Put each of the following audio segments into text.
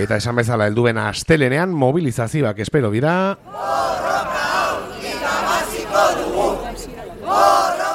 Eta esan bezala helduen astelenean mobilizazioak espero dira.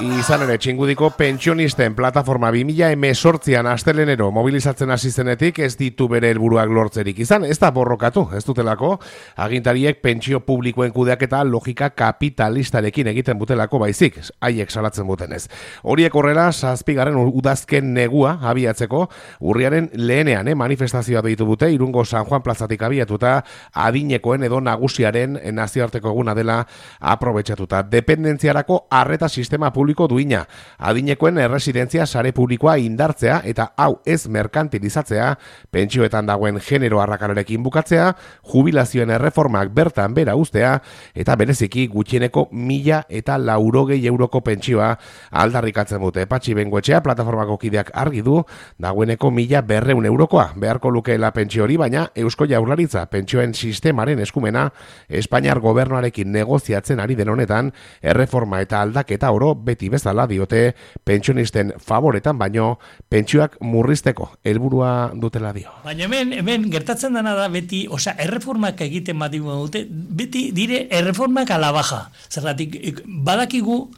Izan ere, Txingudiko pentsionisten plataforma 2018an astelenero mobilizatzen hasi zenetik ez ditu bere helburuak lortzerik izan, ez da borrokatu, ez dutelako, agintariek pentsio publikoen kudeaketa logika kapitalistarekin egiten butelako baizik, haiek salatzen butenez. Horiek horrela, 7. udazken negua abiatzeko, urriaren lehenean manifestazioa deitu dute, Irungo San Juan plazatik abiatuta, adinekoen edo nagusiaren nazioarteko eguna dela aprobetxatuta. Dependentziarako arreta sistema publiko duina, adinekoen erresidentzia sare publikoa indartzea eta hau ez merkantilizatzea, pentsioetan dagoen genero arrakalarekin bukatzea, jubilazioen erreformak bertan bera uztea eta bereziki gutxieneko 1.080 euroko pentsioa aldarrikatzen dute. Patxi Bengoetxea plataformako kideak argi du dagoeneko 1.200 eurokoa beharko lukeela pentsio hori, baina Eusko Jaurlaritza pentsioen sistemaren eskumena Espainiar gobernuarekin negoziatzen ari den honetan, erreforma eta aldaketa oro beti bezala diote pentsionisten favoretan baino pentsioak murrizteko helburua dutela dio. Baina hemen gertatzen dena da beti, erreformak egiten badimu dute, beti dire erreformak a la baja. Zergatik badakigu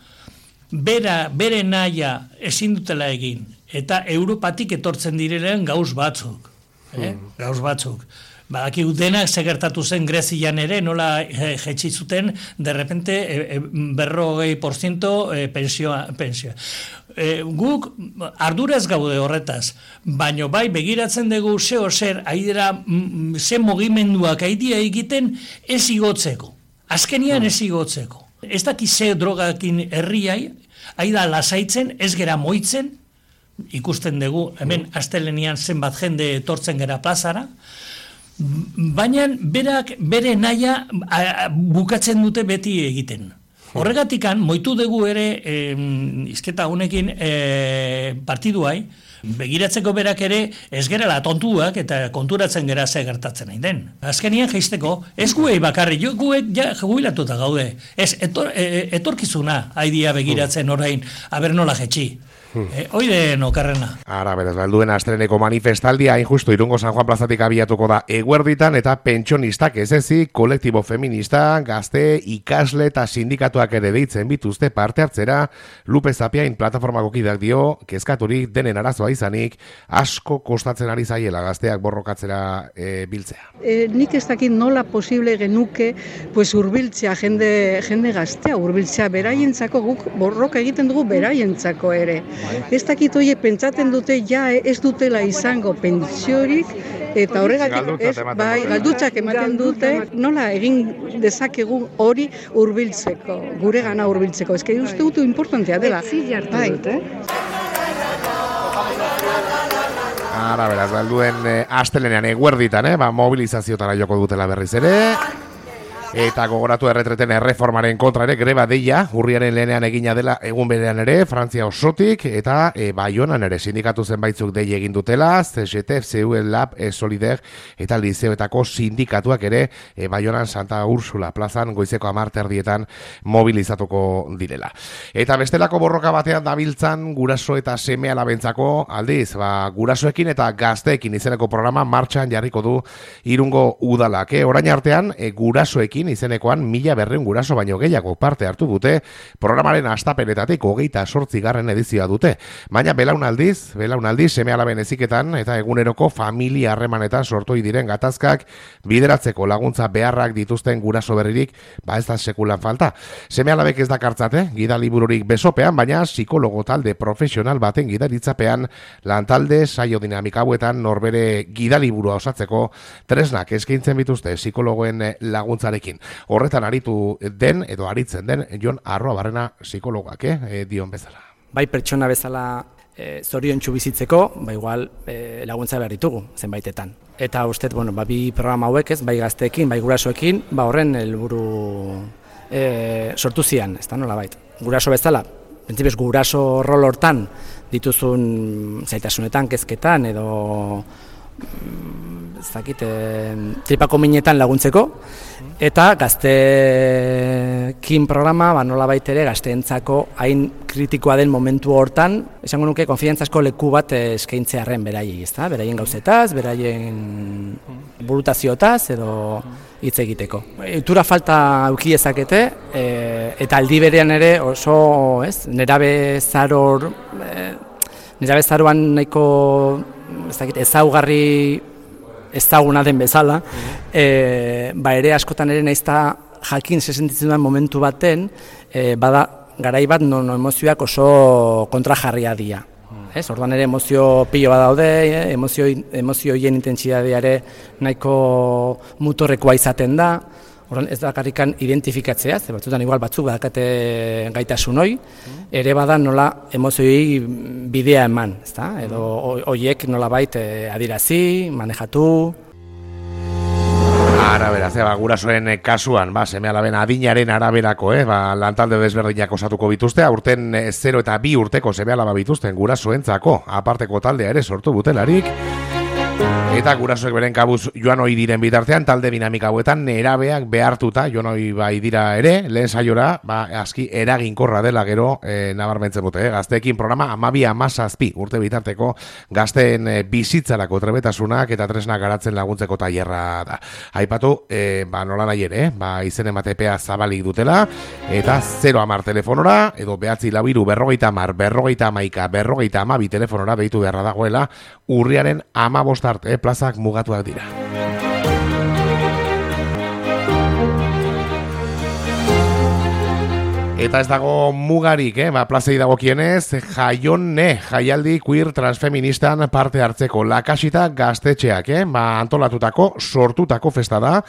bere naia ezin dutela egin eta Europatik etortzen direlen gauz batzuk. Gauz batzuk. Badakigu denak segertatu zen Grezian ere, nola jetxi zuten, de repente 40% pensioa. Guk arduraz gaude horretaz, baino bai begiratzen dugu zer aidera, ze mugimenduak aidia egiten ez igotzeko. Azkenian ez igotzeko. Ez daki ze drogakin herriai, aida lasaitzen, ez gera moitzen, ikusten dugu, hemen astelenian zenbat jende etortzen gera plazara, baina bere naia bukatzen dute beti egiten. Horregatikan, moitu dugu ere izketa honekin partiduai, begiratzeko berak ere ez gerala tontuak eta konturatzen gera ze gertatzen nahi den. Azkenian jaisteko, ez guei bakarri, guek ja jubilatuta gaude. Ez etorkizuna haidia begiratzen orain, aber nola jetxi. Oide nokarrena. Ara, beraz, helduen astreneko manifestaldia injustu Irungo San Juan plazatik abiatuko da eguerditan eta pentsionistak ez ezik, kolektibo feminista, gazte, ikasle eta sindikatuak ere deitzen bituzte parte hartzera, Lupe Zapiain plataformako kideak dio, kezkaturik denen arazoa izanik, asko kostatzen ari zaiela gazteak borrokatzera biltzea. Nik ez dakit nola posible genuke hurbiltzea jende gaztea, hurbiltzea beraientzako, guk borroka egiten dugu beraientzako ere. Ez dakit hoie pentsatzen dute ez dutela izango pentsiorik eta horregatik galdutzak ematen dute nola egin dezakegun hori hurbiltzeko, gure gana hurbiltzeko. Ez que uste dut importantea dela. Ara, beraz, helduen astelenean eguerditan, mobilizaziotara joko dutela berriz ere. Eta gogoratu erretreten erreformaren kontra ere greba deia, urriaren lehenean egina dela egun berean ere, Frantzia osotik, eta Baionan ere sindikatu zenbaitzuk dei egin dutela, CGT, CU, Lab, Solider, eta liceoetako sindikatuak ere Baionan Santa Ursula plazan goizeko 10:00 mobilizatuko direla. Eta bestelako borroka batean dabiltzan guraso eta seme alabentzako aldiz, gurasoekin eta gazteekin izeneko programa martxan jarriko du Irungo udalak. Orain artean, gurasoekin izenekoan 1.200 guraso baino gehiago parte hartu dute, programaren hastapenetatik 28. edizioa dute. Baina belaunaldiz seme alaben heziketan eta eguneroko familia harremanetan sortu diren gatazkak bideratzeko laguntza beharrak dituzten guraso berririk, ez da sekulan falta. Seme alabek ez dakartzate, gidalibururik besopean, baina psikologo talde profesional baten gidaritzapean lantalde saio dinamika hauetan norbere gidaliburua osatzeko tresnak eskaintzen bituzte psikologoen laguntzarekin. Horretan aritu den edo aritzen den Jon Arroabarrena psikologoak, dion bezala. Bai pertsona bezala zoriontsu bizitzeko, igual laguntza behar ditugu zenbaitetan. Eta uste, bi programa hauek bai gazteekin, bai gurasoekin, horren helburu sortu zian, ez da nola bait. Guraso bezala, pentsibes guraso rol hortan dituzun zaitasunetan, kezketan edo tripako minetan laguntzeko, eta gazteekin programa, nolabait ere gazteentzako hain kritikoa den momentu hortan, esango nuke konfiantzazko leku bat eskaintzearren beraiei, ezta? Beraien gauzetaz, beraien burutazioetaz edo hitz egiteko. Itura falta auki ezakete, eta aldi berean ere oso, nerabezaroan nahiko ezaugarri ezaguna den bezala, ere askotan ere naizta jakin sentitzen duen momentu baten, bada garai bat non emozioak oso kontrajarria dira. Orduan ere emozio pilo bat daude, emozioien intentsidadia ere nahiko mutorrekoa izaten da. Orduan ez da karrikan identifikatzea, ze batzutan igual batzuk badakate gaitasun hori, ere bada nola emozioei bidea eman, ezta? Edo horiek nolabait adirazi, manejatu. Arabera, gurasoen kasuan, seme-alaben adinaren araberako, lantalde desberdinak osatuko bituzte, aurten 0 eta 2 urteko seme-alaba bituzten gurasoentzako, aparteko taldea ere sortu butelarik. Eta gurasoek beren kabuz joan ohi diren bitartean, talde dinamika hauetan nerabeak behartuta joan ohi bai dira ere, lehen saiora, aski eraginkorra dela gero nabarmentzen dute. Gazteekin programa 12-17 urte bitarteko gazteen bizitzarako trebetasunak eta tresnak garatzen laguntzeko tailerra da. Aipatu, nola nahi ere, izen ematepea zabalik dutela, eta 010 telefonora, edo 943-40-40-11-42 telefonora deitu beharra dagoela, urriaren 15 arte, plazak mugatuak dira. Eta ez dago mugarik, plazei dagokienez, jaialdi queer transfeministan parte hartzeko lakasita gaztetxeak, antolatutako, sortutako festa da,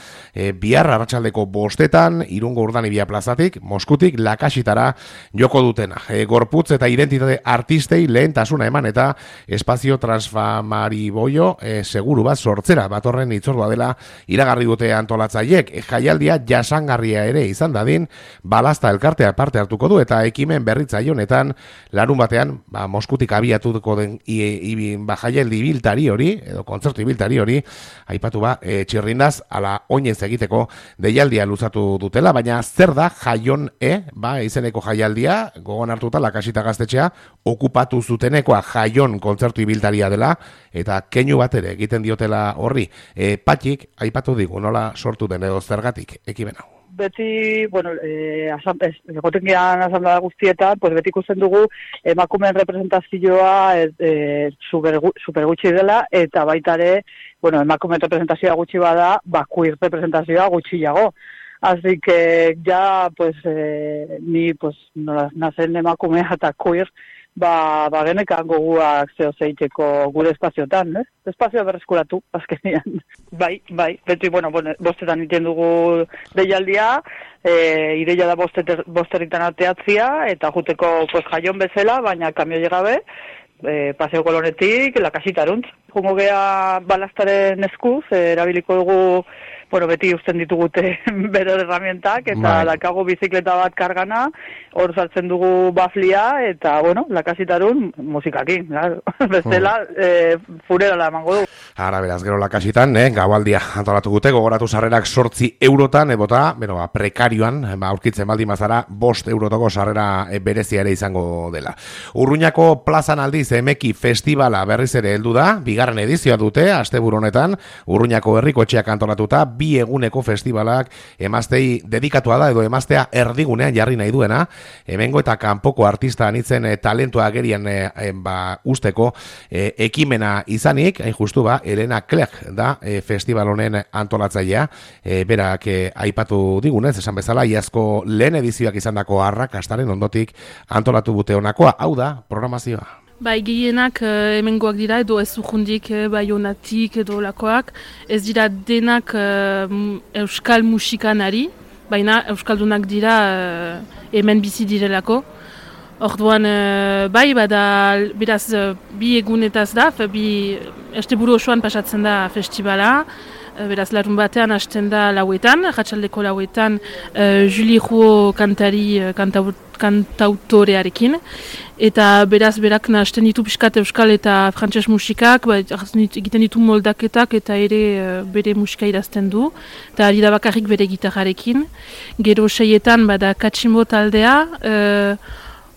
bihar arratsaldeko 5 Irungo Urdanibia plazatik, Moskutik lakasitara joko dutena. Gorputz eta identitate artistei lehentasuna eman eta espazio transfamariboio seguru bat sortzera, batorren itzordua dela iragarri dute antolatzaiek. Jaialdia jasangarria ere izan dadin, balazta elkartea parte hartuko du eta ekimen berritzaile honetan larun batean Moskutik abiatuko den jaialdi ibiltari hori edo kontzertu ibiltari hori aipatu txirrindaz ala oinez egiteko deialdia luzatu dutela, baina zer da Jaion izeneko jaialdia, gogoan hartuta lakasita gaztetxea okupatu zutenekoa Jaion kontzertu ibiltaria dela eta keinu bat ere egiten diotela horri. Patxik aipatu digu nola sortu den edo zergatik ekimen hau. Beti, egoten gehan asamblea guztietan, beti ikusten dugu emakumeen representazioa super gutxi dela, eta baita ere, emakumeen representazioa gutxi bada, queer representazioa gutxiago. Así que ya, ni, nazen emakumea eta queer, genekan goguak zeiteko gure espaziotan, espazioa berreskuratu, azkenean. Bai, beti, bostetan iten dugu deialdia, ideia da bosterritan ateatzia, eta juteko Jaion bezala, baina kamio gabe, paseo kolonetik, lakasitaruntz. Jungo gea balastaren eskuz, erabiliko dugu, beti usten ditugute bere herramientak, eta lakago bizikleta bat kargana, hor sartzen dugu baflia, eta, lakasitarun musikakin, bestela, furera emango dugu. Ara, beraz, gero lakasitan, gaualdia antolatu gute, gogoratu sarrerak 8 eurotan, prekarioan, aurkitzen baldin bazara, 5 eurotoko sarrera berezia ere izango dela. Urruñako plazan aldiz emeki festivala berriz ere heldu da, bigarren edizioa dute, asteburu honetan, Urruñako herriko etxeak antolatuta, 2 eguneko festivalak emaztei dedikatua da, edo emaztea erdigunean jarri nahi duena, hemengo eta kanpoko artista anitzen talentua agerian usteko ekimena izanik, hain justu Elena Clerc da festival honen antolatzailea, berak aipatu digunez, esan bezala, iazko lehen edizioak izandako arrakastaren ondotik antolatu bute honakoa, hau da programazioa. Gehienak hemengoak dira, edo ez urrundik Baionatik edo lakoak, ez dira denak euskal musikanari, baina euskaldunak dira hemen bizi direlako. Orduan, beraz, 2 egunetaz da, asteburu osoan pasatzen da festivala, beraz larun batean hasten da lauetan, arratsaldeko lauetan, Julie Rouault kantari, kantautorearekin, eta beraz berak hasten ditu pixkat euskal eta frantses musikak, egiten ditu moldaketak eta ere bere musika idazten du, eta ari da bakarrik bere gitarrarekin. Gero 6etan bada Katximbo taldea,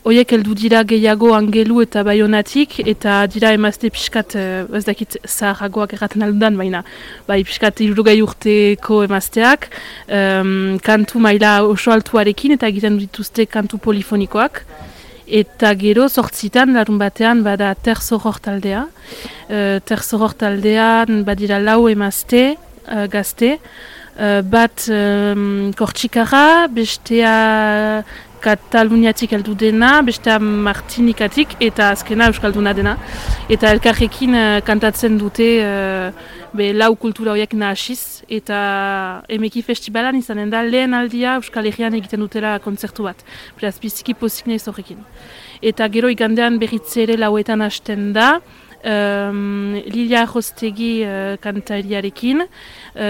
Oiek heldu dira gehiago Angelu eta Baionatik, eta dira emazte pixkat, ez dakit zaharragoak erraten aldudan, baina bai pixkat 60 urteko emazteak, kantu maila oso altuarekin eta egiten dituzte kantu polifonikoak. Eta gero 8etan larun batean bada Terzoror taldea. Terzoror taldean badira 4 emazte, gazte, bat Kortxikarra, bestea Kataluniatik heldu dena, bestea Martinikatik eta azkena Euskalduna dena. Eta elkarrekin kantatzen dute 4 kultura horiek nahasiz, eta Emeki Festivalan izanen da lehen aldia Euskal Herrian egiten dutela kontzertu bat. Beraz, biziki pozik nahiz horrekin. Eta gero igandean berritze ere 4etan hasten da, Lilia Arrostegi kantariarekin,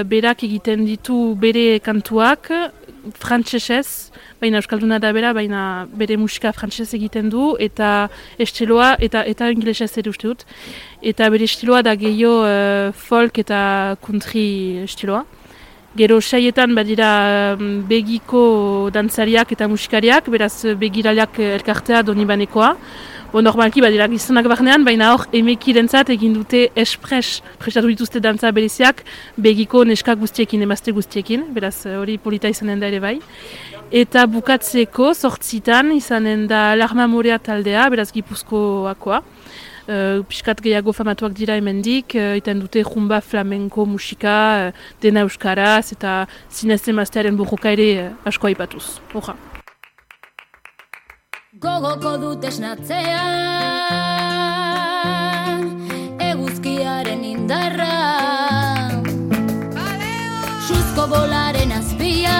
berak egiten ditu bere kantuak frantsesez, baina euskalduna da bera, baina bere musika frantsesez egiten du, eta estiloa, eta inglesez ere uste dut, eta bere estiloa da gehiago folk eta country estiloa. Gero 6etan badira begiko dantzariak eta musikariak, beraz begiraleak elkartea Donibanekoa. Normalki badira gizonak barnean, baina hor Emekirentzat egin dute prestatu dituzte dantza bereziak begiko neska guztiekin, emazte guztiekin, beraz hori polita izanen da ere bai. Eta bukatzeko 8etan izanen da Larma Morea taldea, beraz Gipuzkoakoa. Piskat gehiago famatuak dira hemendik, iten dute jumba flamenko musika, dena euskaraz, eta zinez emaztearen burruka ere asko aipatuz. Horra. Gogoko dut esnatzea, eguzkiaren indarra, suzko bolaren azpia,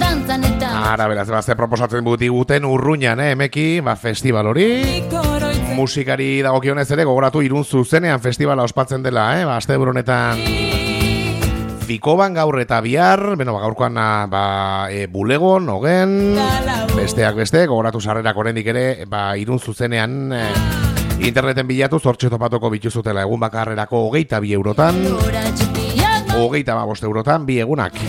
dantzan eta... Ara, beraz, ze proposatzen guten Urruñan, Emeki, festival hori. Musikari dagokionez ere, gogoratu Irun zuzenean festivala ospatzen dela, asteburu honetan... Fikoban gaur eta bihar, gaurkoan bulegon, ogen, besteak beste, gogoratu sarrerak oraindik ere, Irun zuzenean interneten bilatu zortxe topatuko bituzutela egun bakarrerako 22 eurotan, 25 eurotan, 2 egunak.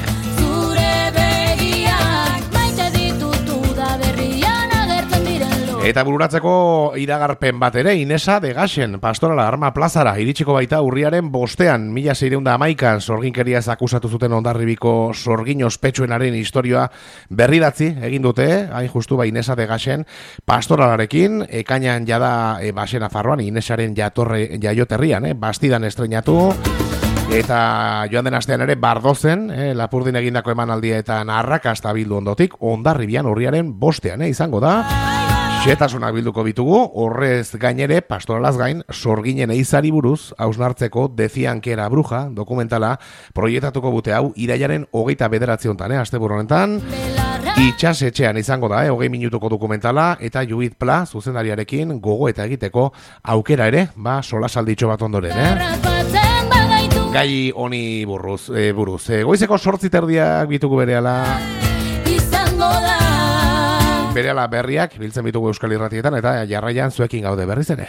Eta bururatzeko iragarpen bat ere, Inesa de Gaxen, Pastorala Arma Plazara, iritsiko baita urriaren 5ean, 1611an, sorginkeriaz akusatu zuten Hondarribiko sorgin ospetsuenaren historioa berridatzi egin dute, hain justu Inesa de Gaxen, Pastoralarekin, ekainan jada Baxena Farroan, Inesaren jaioterrian, Bastidan estreinatu, eta joan den astean ere Bardozen, Lapurdin egindako emanaldia eta arrakasta bildu ondotik, Hondarribian urriaren 5ean, izango da. Xetasunak bilduko bitugu, horrez gainere, Pastoralaz gain, sorginen eizari buruz, hausnartzeko Decían que era bruja, dokumentala, proiektatuko bute hau, irailaren 29 honetan, asteburu honetan, itxasetxean izango da, 20 minutuko dokumentala, eta Judith Pla, zuzendariarekin, gogo eta egiteko aukera ere, solasalditxo bat ondoren, Gai honi buruz. Goizeko 8:30 bitugu berehala. Berehala berriak biltzen bitugu Euskal Irratietan eta jarraian zuekin gaude berriz ere.